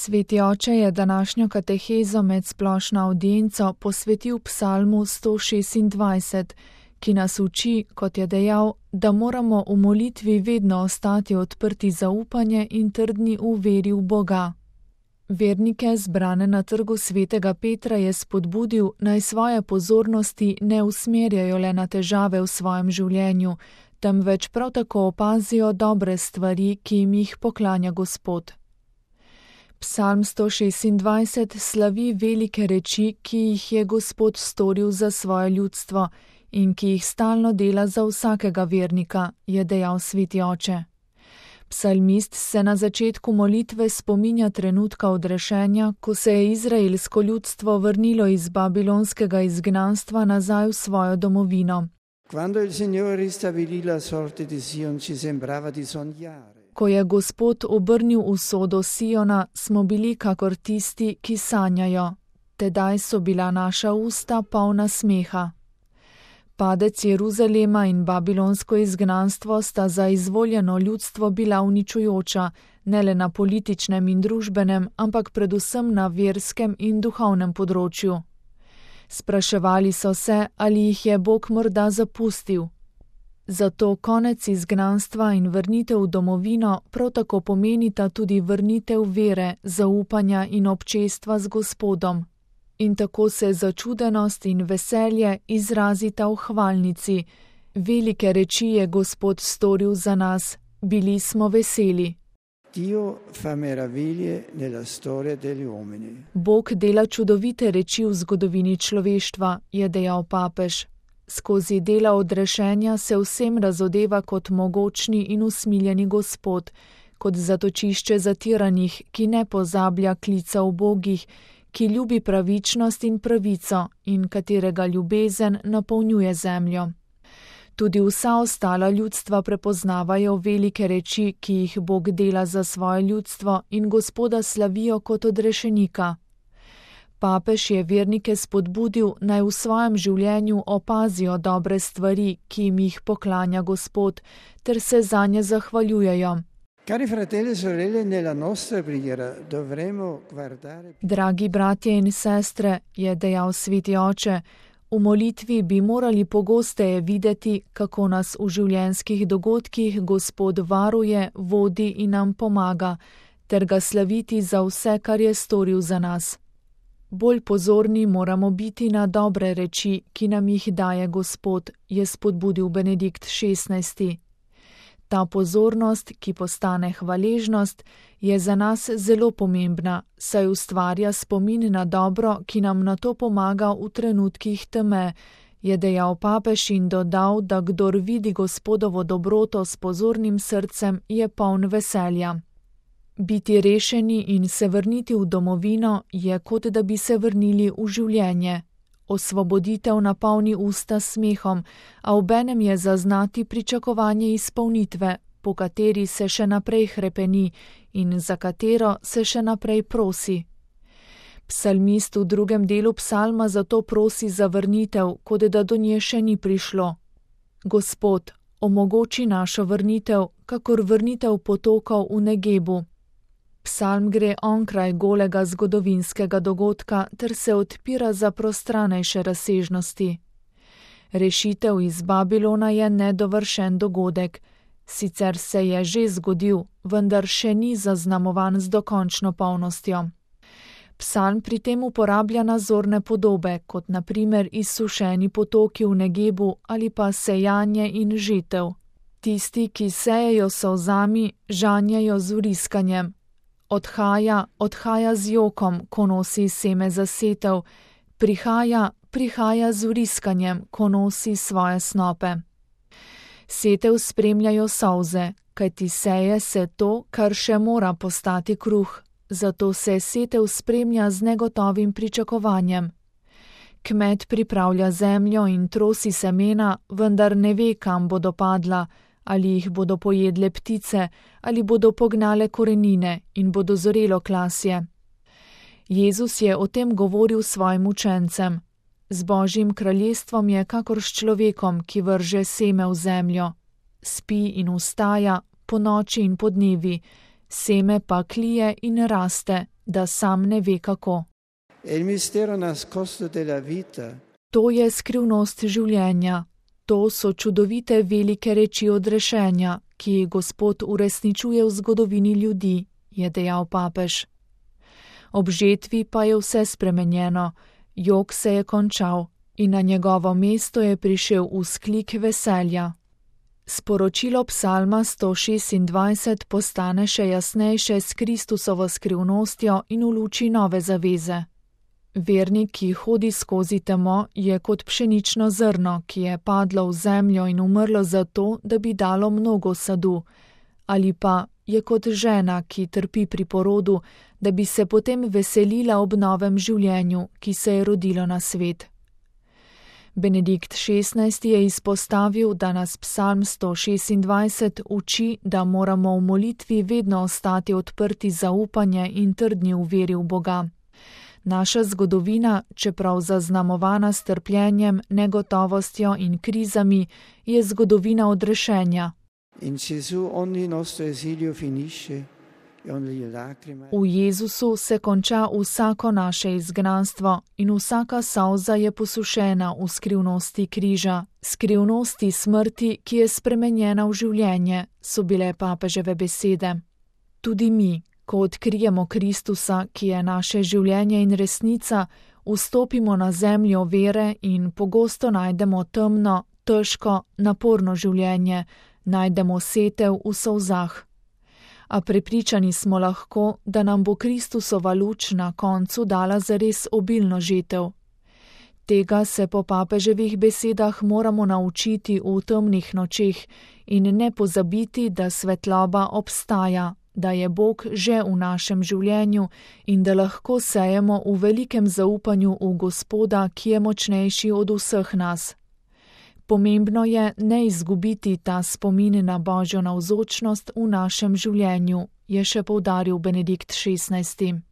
Sveti oče je današnjo katehezo med splošno avdienco posvetil psalmu 126, ki nas uči, kot je dejal, da moramo v molitvi vedno ostati odprti za upanje in trdni v veri v Boga. Vernike, zbrane na trgu svetega Petra, je spodbudil, naj svoje pozornosti ne usmerjajo le na težave v svojem življenju, temveč prav tako opazijo dobre stvari, ki jim jih poklanja Gospod. Psalm 126 slavi velike reči, ki jih je Gospod storil za svoje ljudstvo in ki jih stalno dela za vsakega vernika, je dejal sveti oče. Psalmist se na začetku molitve spominja trenutka odrešenja, ko se je izraelsko ljudstvo vrnilo iz babilonskega izgnanstva nazaj v svojo domovino. Ko je Gospod obrnil usodo Siona, smo bili kakor tisti, ki sanjajo. Tedaj so bila naša usta polna smeha. Padec Jeruzalema in babilonsko izgnanstvo sta za izvoljeno ljudstvo bila uničujoča, ne le na političnem in družbenem, ampak predvsem na verskem in duhovnem področju. Spraševali so se, ali jih je Bog morda zapustil. Zato konec izgnanstva in vrnitev v domovino prav tako pomenita tudi vrnitev vere, zaupanja in občestva z Gospodom. In tako se začudenost in veselje izrazita v hvalnici. Velike reči je Gospod storil za nas, bili smo veseli. Bog dela čudovite reči v zgodovini človeštva, je dejal papež. Skozi dela odrešenja se vsem razodeva kot mogočni in usmiljeni Gospod, kot zatočišče zatiranih, ki ne pozablja klica ubogih, ki ljubi pravičnost in pravico in katerega ljubezen napolnjuje zemljo. Tudi vsa ostala ljudstva prepoznavajo velike reči, ki jih Bog dela za svoje ljudstvo in Gospoda slavijo kot odrešenika. Papež je vernike spodbudil, naj v svojem življenju opazijo dobre stvari, ki jim jih poklanja Gospod, ter se zanje zahvaljujejo. Dragi bratje in sestre, je dejal sveti oče, v molitvi bi morali pogosteje videti, kako nas v življenjskih dogodkih Gospod varuje, vodi in nam pomaga, ter ga slaviti za vse, kar je storil za nas. Bolj pozorni moramo biti na dobre reči, ki nam jih daje Gospod, je spodbudil Benedikt XVI. Ta pozornost, ki postane hvaležnost, je za nas zelo pomembna, saj ustvarja spomin na dobro, ki nam na to pomaga v trenutkih teme, je dejal papež in dodal, da kdor vidi Gospodovo dobroto s pozornim srcem, je poln veselja. Biti rešeni in se vrniti v domovino je kot da bi se vrnili v življenje. Osvoboditev napolni usta smehom, a obenem je zaznati pričakovanje izpolnitve, po kateri se še naprej hrepeni in za katero se še naprej prosi. Psalmist v drugem delu psalma zato prosi za vrnitev, kot da do nje še ni prišlo. Gospod, omogoči našo vrnitev, kakor vrnitev potokov v Negebu. Psalm gre onkraj golega zgodovinskega dogodka ter se odpira za prostranejše razsežnosti. Rešitev iz Babilona je nedovršen dogodek. Sicer se je že zgodil, vendar še ni zaznamovan z dokončno polnostjo. Psalm pri tem uporablja nazorne podobe, kot na primer izsušeni potoki v Negebu ali pa sejanje in žetev. Tisti, ki sejejo solzami, žanjejo z vriskanjem. Odhaja z jokom, ko nosi seme za setev, prihaja z vriskanjem, ko nosi svoje snope. Setev spremljajo solze, kajti seje se to, kar še mora postati kruh, zato se setev spremlja z negotovim pričakovanjem. Kmet pripravlja zemljo in trosi semena, vendar ne ve, kam bodo padla, ali jih bodo pojedle ptice, ali bodo pognale korenine in bodo zorelo klasje. Jezus je o tem govoril svojim učencem. Z Božjim kraljestvom je kakor s človekom, ki vrže seme v zemljo. Spi in vstaja, ponoči in podnevi, seme pa klije in raste, da sam ne ve kako. To je skrivnost življenja. To so čudovite velike reči odrešenja, ki jih Gospod uresničuje v zgodovini ljudi, je dejal papež. Ob žetvi pa je vse spremenjeno, jok se je končal in na njegovo mesto je prišel vzklik veselja. Sporočilo psalma 126 postane še jasnejše s Kristusovo skrivnostjo in v luči nove zaveze. Vernik, ki hodi skozi temo, je kot pšenično zrno, ki je padlo v zemljo in umrlo zato, da bi dalo mnogo sadu, ali pa je kot žena, ki trpi pri porodu, da bi se potem veselila ob novem življenju, ki se je rodilo na svet. Benedikt XVI je izpostavil, da nas psalm 126 uči, da moramo v molitvi vedno ostati odprti za upanje in trdni v veri v Boga. Naša zgodovina, čeprav zaznamovana s trpljenjem, negotovostjo in krizami, je zgodovina odrešenja. V Jezusu se konča vsako naše izgnanstvo in vsaka solza je posušena v skrivnosti križa, skrivnosti smrti, ki je spremenjena v življenje, so bile papeževe besede. Tudi mi, ko odkrijemo Kristusa, ki je naše življenje in resnica, vstopimo na zemljo vere in pogosto najdemo temno, težko, naporno življenje, najdemo setev v solzah. A prepričani smo lahko, da nam bo Kristusova luč na koncu dala zares obilno žetev. Tega se po papeževih besedah moramo naučiti v temnih nočeh in ne pozabiti, da svetloba obstaja, da je Bog že v našem življenju in da lahko sejemo v velikem zaupanju v Gospoda, ki je močnejši od vseh nas. Pomembno je ne izgubiti ta spomin na Božjo navzočnost v našem življenju, je še poudaril Benedikt XVI.